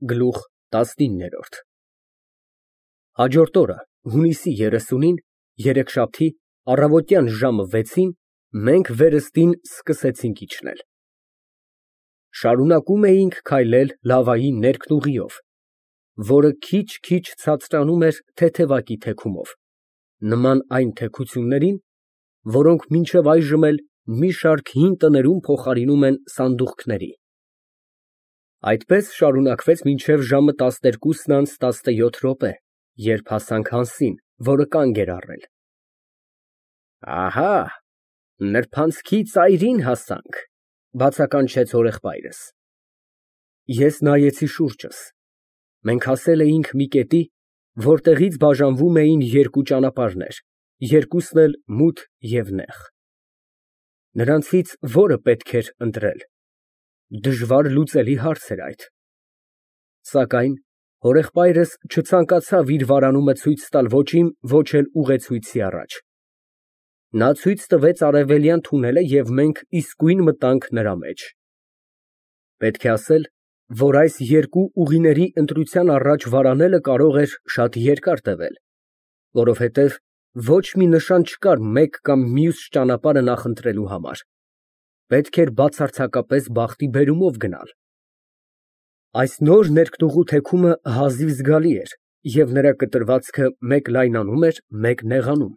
Գլուխ 19 Հաջորդ օրը, հունիսի 30-ին, երեքշաբթի, առավոտյան ժամը 6-ին մենք վերստին սկսեցինք իջնել։ Շարունակում էինք քայլել լավայի ներքնուղիով, որը քիչ֊քիչ ցածրանում էր թեթևակի թեքումով, նման այն թեքություններին, որոնք մինչև այժմ էլ մի շարք հին տներում փոխարինում են սանդուղքների։ Այդպես շարունակվեց մինչև ժամը 12:17, երբ հասանք Հանսին, որը կանգ էր առել։ Ահա, նրբանցքի ծայրին հասանք, բացականչեց հորեղբայրս։ Ես նայեցի շուրջս։ Մենք հասել էինք մի կետի, որտեղից բաժանվում էին երկու ճանապարհներ, երկուսն էլ մութ և նեղ։ Նրանցից որը պետք էր ընտրել։ Դժվար լուծելի հարց էր այդ։ Սակայն հորեղբայրս չցանկացավ իր վարանումը ցույց տալ ոչ իմ, ոչ էլ ուղեցույցի առաջ։ Նա ցույց տվեց արևելյան թունելը և մենք իսկույն մտանք նրա մեջ։ Պետք է ասել, որ այս երկու ուղիների ընտրության առաջ վարանելը կարող էր շատ երկար տևել, որովհետև ոչ մի նշան չկար մեկ կամ մյուս ճանապարհը նախընտրելու համար։ Պետք էր բացարձակապես բախտի բերումով գնալ։ Այս նոր ներքնուղու թեքումը հազիվ զգալի էր, և նրա կտրվածքը մեկ լայնանում էր, մեկ նեղանում։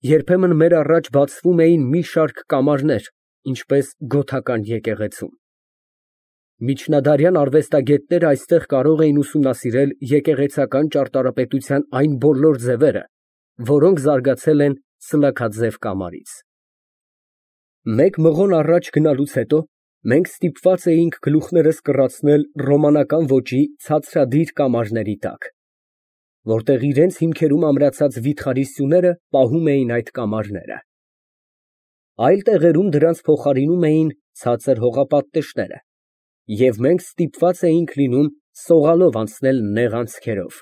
Երբեմն մեր առաջ բացվում էին մի շարք կամարներ, ինչպես գոթական եկեղեցում։ Միջնադարյան արվեստագետները այստեղ կարող էին ուսումնասիրել եկեղեցական ճարտարապետության այն բոլոր ձևերը, որոնք զարգացել են սլաքաձև կամարից։ Մեկ մղոն առաջ գնալուց հետո մենք ստիպված էինք գլուխներս կռացնել ռոմանական ոճի ցածրադիր կամարների տակ, որտեղ իրենց հիմքերում ամրացած վիթխարի սյուները պահում էին այդ կամարները։ Այլ տեղերում դրանց փոխարինում էին ցածր հողապատտեշները, և մենք ստիպված էինք լինում սողալով անցնել նեղ անցքերով։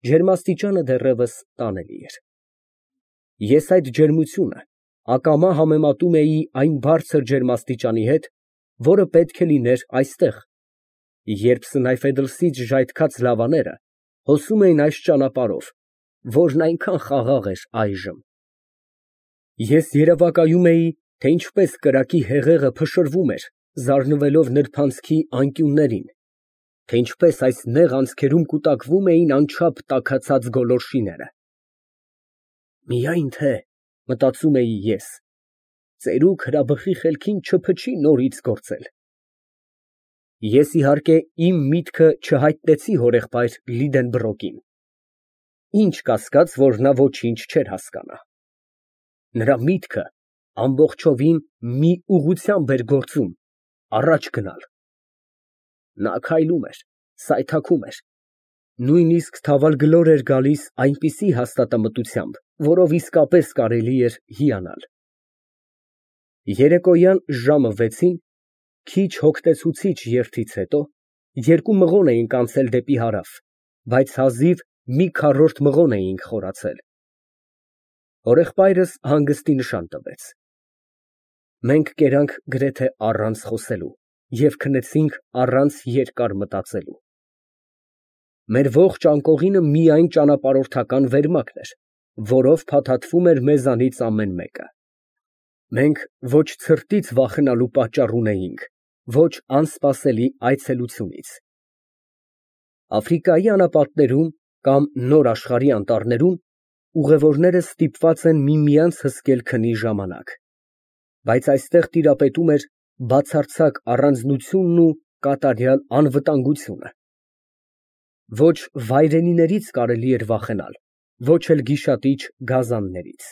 Ջերմաստիճանը դեռևս տանելի էր։ Ես այդ ջերմությունը ակամա համեմատում էի այն բարձր ջերմաստիճանի հետ, որը պետք է լիներ այստեղ, երբ Սնայֆեդլսից ժայթքած լավաները հոսում էին այս ճանապարհով, որն այնքան խաղաղ էր այժմ։ Ես երևակայում էի, թե ինչպես կրակի հեղեղը փշրվում էր, զարնվելով նրբանցքի անկյուններին, թե ինչպես այս նեղ անցքերում կուտակվում էին անչափ տաքացած գոլորշիները։ Միայն թե, մտածում էի ես, ծերուկ հրաբխի խելքին չփչի նորից գործել։ Ես, իհարկե, իմ միտքը չհայտնեցի հորեղբայր Լիդենբրոկին։ Ինչ կասկած, որ նա ոչինչ չէր հասկանա։ Նրա միտքը ամբողջովին մի ուղղությամբ էր գործում, առաջ գնալ։ Նա քայլում էր, սայթաքում էր, նույնիսկ թավալգլոր էր գալիս այնպիսի հաստատամտությամբ, որով իսկապես կարելի էր հիանալ։ Երեկոյան ժամը 6-ին, քիչ հոգնեցուցիչ երթից հետո, երկու մղոն էինք անցել դեպի հարավ, բայց հազիվ մի քառորդ մղոն էինք խորացել։ Հորեղբայրս հանգստի նշան տվեց։ Մենք կերանք գրեթե առանց խոսելու և քնեցինք առանց երկար մտածելու։ Մեր ողջ անկողինը միայն ճանապարհորդական վերմակն էր, որով փաթաթվում էր մեզանից ամեն մեկը։ Մենք ոչ ցրտից վախենալու պատճառ ունեինք, ոչ անսպասելի այցելությունից։ Աֆրիկայի անապատներում կամ Նոր աշխարհի անտառներում ուղևորները ստիպված են միմյանց հսկել քնի ժամանակ, բայց այստեղ տիրապետում էր բացարձակ առանձնությունն ու կատարյալ անվտանգությունը։ Ոչ վայրենիներից կարելի էր վախենալ, ոչ էլ գիշատիչ գազաններից։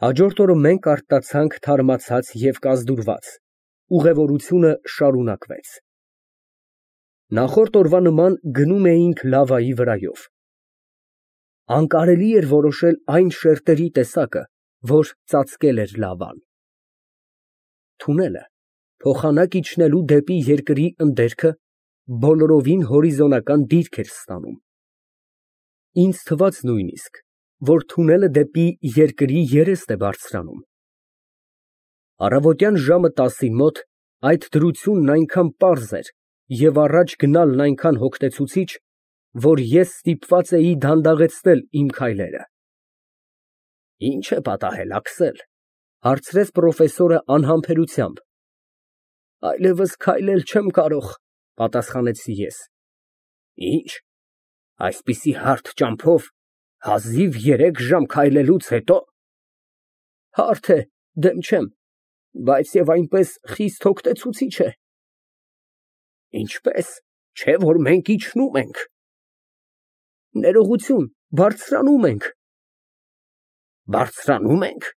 Հաջորդ օրը մենք արթնացանք թարմացած և կազդուրված, ուղևորությունը շարունակվեց։ Նախորդ օրվա նման գնում էինք լավայի վրայով։ Անկարելի էր որոշել այն շերտերի տեսակը, որ ծածկել էր լավան։ Թունելը, փոխանակ իջնելու դեպի երկրի ընդերքը, բոլորովին հորիզոնական դիրք էր ստանում։ Ինձ թվաց նույնիսկ, որ թունելը դեպի երկրի երեստ է բարձրանում։ Առավոտյան ժամը 10-ին մոտ այդ դրությունն այնքան պարզ էր և առաջ գնալն այնքան հոգնեցուցիչ, որ ես ստիպված էի դանդաղեցնել իմ քայլերը։ «Ի՞նչ է պատահել, Աքսել», ֊ հարցրեց պրոֆեսորը անհամբերությամբ։ «Այլևս քայլել չեմ կարող», ֊ պատասխանեցի ես։ «Ի՞նչ, այսպիսի հարթ ճամփով հազիվ 3 ժամ քայլելուց հետո»։ «Հարթ է, դեմ չեմ, բայց և այնպես խիստ հոգնեցուցիչ է»։ «Ինչպե՞ս, չէ՞ որ մենք իջնում ենք»։ «Ներողություն, բարձրանում ենք»։ «Բարձրանո՞ւմ ենք», ֊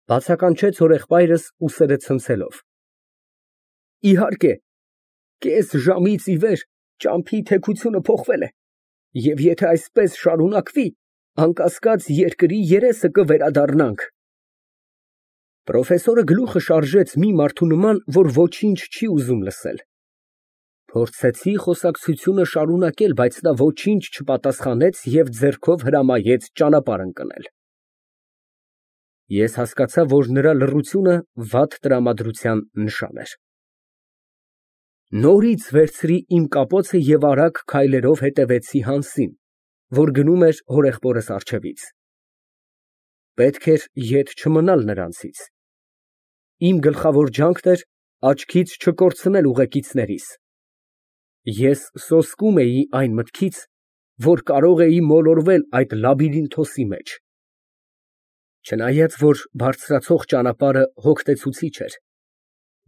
բացականչեց հորեղբայրս ուսերը ցնցելով։ «Իհարկե, կես ժամից ի վեր ճամփի թեքությունը փոխվել է, և եթե այսպես շարունակվի, անկասկած երկրի երեսը կվերադառնանք»։ Պրոֆեսորը գլուխը շարժեց մի մարդու նման, որ ոչինչ չի ուզում լսել։ Փորձեցի խոսակցությունը շարունակել, բայց նա ոչինչ չպատասխանեց և ձեռքով հրամայեց ճանապարհ ընկնել։ Ես հասկացա, որ նրա լռությունը վատ տրամադրության նշան էր։ Նորից վերցրի իմ կապոցը և արագ քայլերով հետևեցի Հանսին, որ գնում էր հորեղբորս առջևից։ Պետք էր ետ չմնալ նրանցից։ Իմ գլխավոր ջանքն էր աչքից չկորցնել ուղեկիցներիս։ Ես սոսկում էի այն մտքից, որ կարող էի մոլորվել այդ լաբիրինթոսի մեջ։ Չնայած որ բարձրացող ճանապարհը հոգնեցուցիչ էր,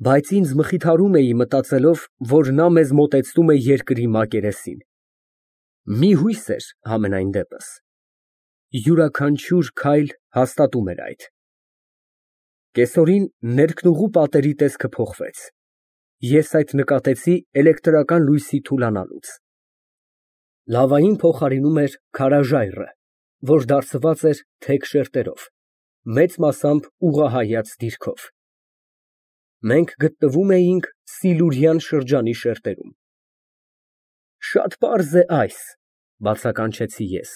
բայց ինձ մխիթարում էի մտածելով, որ նա մեզ մոտեցնում է երկրի մակերեսին։ Մի հույս էր համենայն դեպս։ Յուրաքանչյուր քայլ հաստատում էր այդ։ Կեսօրին ներքնուղու պատերի տեսքը փոխվեց։ Ես այդ նկատեցի էլեկտրական լույսի թուլանալուց։ Լավային փոխարինում էր քարաժայռը, որ դարձված էր թեք շերտերով, մեծ մասամբ ուղղահայաց դիրքով։ Մենք գտնվում էինք Սիլուրյան շրջանի շերտերում։ Շատ պարզ է այս, բացականչեցի ես։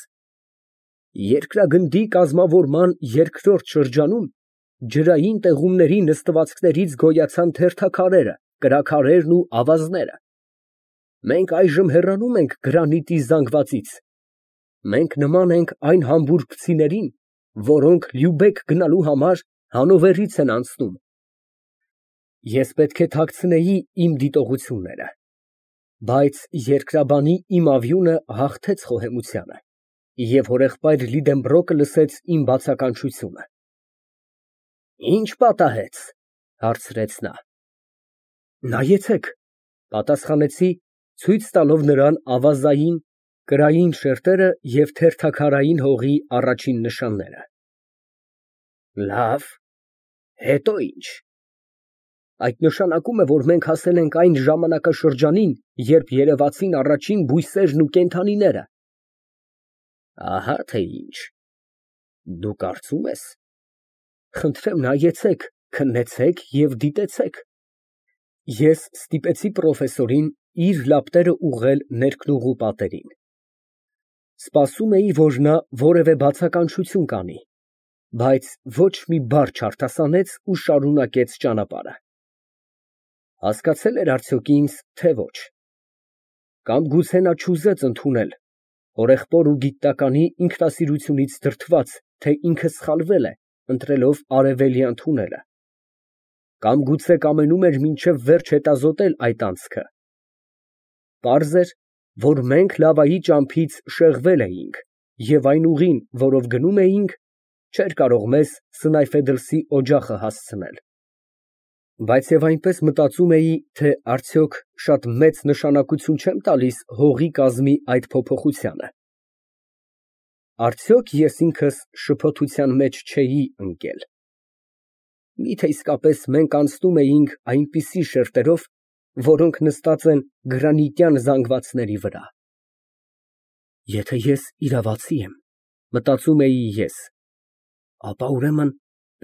Երկրագնդի կազմավորման երկրորդ շրջանում ջրային տեղումների նստվածքներից գոյացան թերթաքարերը, կրաքարերն ու ավազները։ Մենք այժմ հեռանում ենք գրանիտի զանգվածից։ Մենք նման ենք այն համբուրգցիներին, որոնք Լյուբեկ գնալու համար Հանովերից են անցնում։ Ես պետք է թաքցնեի իմ դիտողությունները, բայց երկրաբանի իմ ավյունը հաղթեց խոհեմությանը, և հորեղբայր Լիդենբրոկը լսեց իմ բացականչությունը։ «Ի՞նչ պատահեց», ֊ հարցրեց նա։ «Նայեցեք», ֊ պատասխանեցի, ցույց տալով նրան ավազային, կրային շերտերը և թերթաքարային հողի առաջին նշանները։ Լավ, հետո ի՞նչ։ Այդ նշանակում է, որ մենք հասել ենք այն ժամանակաշրջանին, երբ երևացին առաջին բույսերն ու կենդանիները։ Ահա թե ինչ։ Դու կարծում ես։ Խնդրեմ նայեցեք, քննեցեք և դիտեցեք։ Ես ստիպեցի պրոֆեսորին իր լապտերը ուղղել ներքնուղու պատերին։ Սպասում էի, որ նա որևէ բացականչություն կանի, բայց ոչ մի բառ չարտասանեց ու շարունակեց ճանապարհը։ Հասկացել էր արդյոք ինձ, թե ոչ։ Կամ գուցե նա չուզեց ընդունել, հորեղբոր ու գիտականի ինքնասիրությունից դրդված, թե ինքը սխալվել է, ընտրելով արևելյան թունելը։ Կամ գուցե կամենում էր մինչև վերջ հետազոտել այդ անցքը։ Պարզ էր, որ մենք լավայի ճամփից շեղվել էինք, և այն ուղին, որով գնում էինք, չէր կարող մեզ Սնայֆեդլսի օջախը հասցնել։ Բայց և այնպես մտածում էի, թե արդյոք շատ մեծ նշանակություն չեմ տալիս հողի կազմի այդ փոփոխությանը։ Արդյոք ես ինքս շփոթության մեջ չէի ընկել։ Միթե իսկապես մենք անցնում էինք այնպիսի շերտերով, որոնք նստած են գրանիտյան զանգվածների վրա։ Եթե ես իրավացի եմ, մտածում էի ես, ապա ուրեմն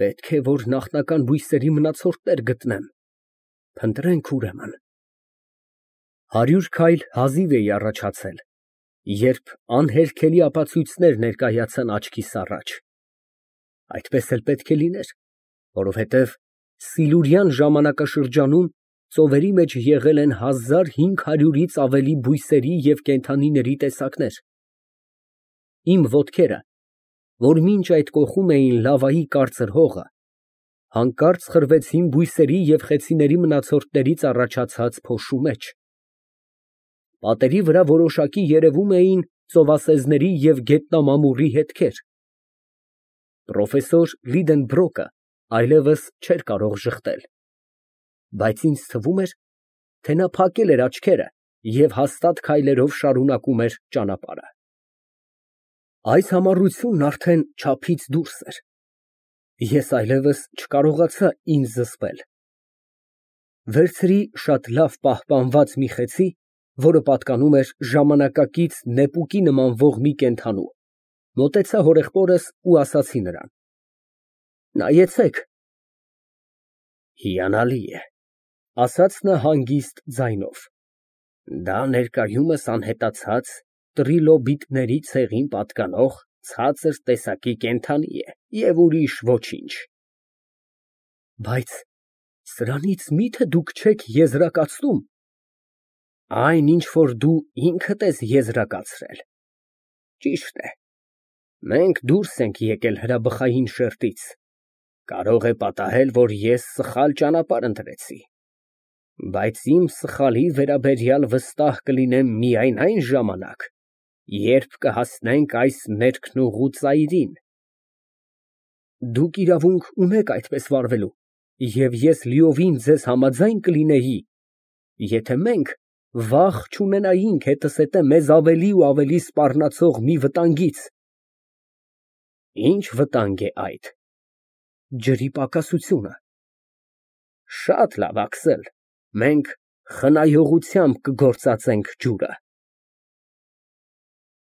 պետք է, որ նախնական բույսերի մնացորդներ գտնեմ։ Փնտրենք ուրեմն։ 100 քայլ հազիվ էի առաջացել, երբ անհերքելի ապացույցներ ներկայացան աչքիս առաջ։ Այդպես էլ պետք է լիներ, որովհետև Սիլուրյան ժամանակաշրջանում ծովերի մեջ եղել են 1500-ից ավելի բույսերի և կենդանիների տեսակներ։ Իմ ոտքերը, որ մինչ այդ կոխում էին լավայի կարծր հողը, հանկարծ խրվեցին բույսերի և խեցիների մնացորդներից առաջացած փոշու մեջ։ Պատերի վրա որոշակի երևում էին ծովասեզների և գետնամամուռի հետքեր։ Պրոֆեսոր Լիդենբրոկը այլևս չէր կարող ժխտել, բայց ինձ թվում էր, թե նա փակել էր աչքերը և հաստատ քայլերով շարունակում էր ճանապարհը։ Այս համառությունն արդեն չափից դուրս էր։ Ես այլևս չկարողացա ինձ զսպել։ Վերցրի շատ լավ պահպանված մի խեցի, որը պատկանում էր ժամանակակից նեպուկի նմանվող մի կենդանու, մոտեցա հորեղբորս ու ասացի նրան. «Նայեցեք»։ Հիանալի է, ասաց նա հանգիստ ձայնով, դա ներկայումս անհետացած տրիլոբիտների ցեղին պատկանող ցածր տեսակի կենդանի է և ուրիշ ոչինչ։ Բայց սրանից մի՞թե դուք չեք եզրակացնում։ Այն, ինչ որ դու ինքդ ես եզրակացրել, ճիշտ է, մենք դուրս ենք եկել հրաբխային շերտից, կարող է պատահել, որ ես սխալ ճանապարհ ընտրեցի, բայց իմ սխալի վերաբերյալ վստահ կլինեմ միայն այն ժամանակ, երբ կհասնենք այս ներքնուղու ծայրին։ Դուք իրավունք ունեք այդպես վարվելու, և ես լիովին ձեզ համաձայն կլինեի, եթե մենք վախ չունենայինք հետզհետե մեզ ավելի ու ավելի սպառնացող մի վտանգից։ Ի՞նչ վտանգ է այդ։ Ջրի պակասությունը։ Շատ լավ, Աքսել, մենք խնայողությամբ կգործածենք ջուրը։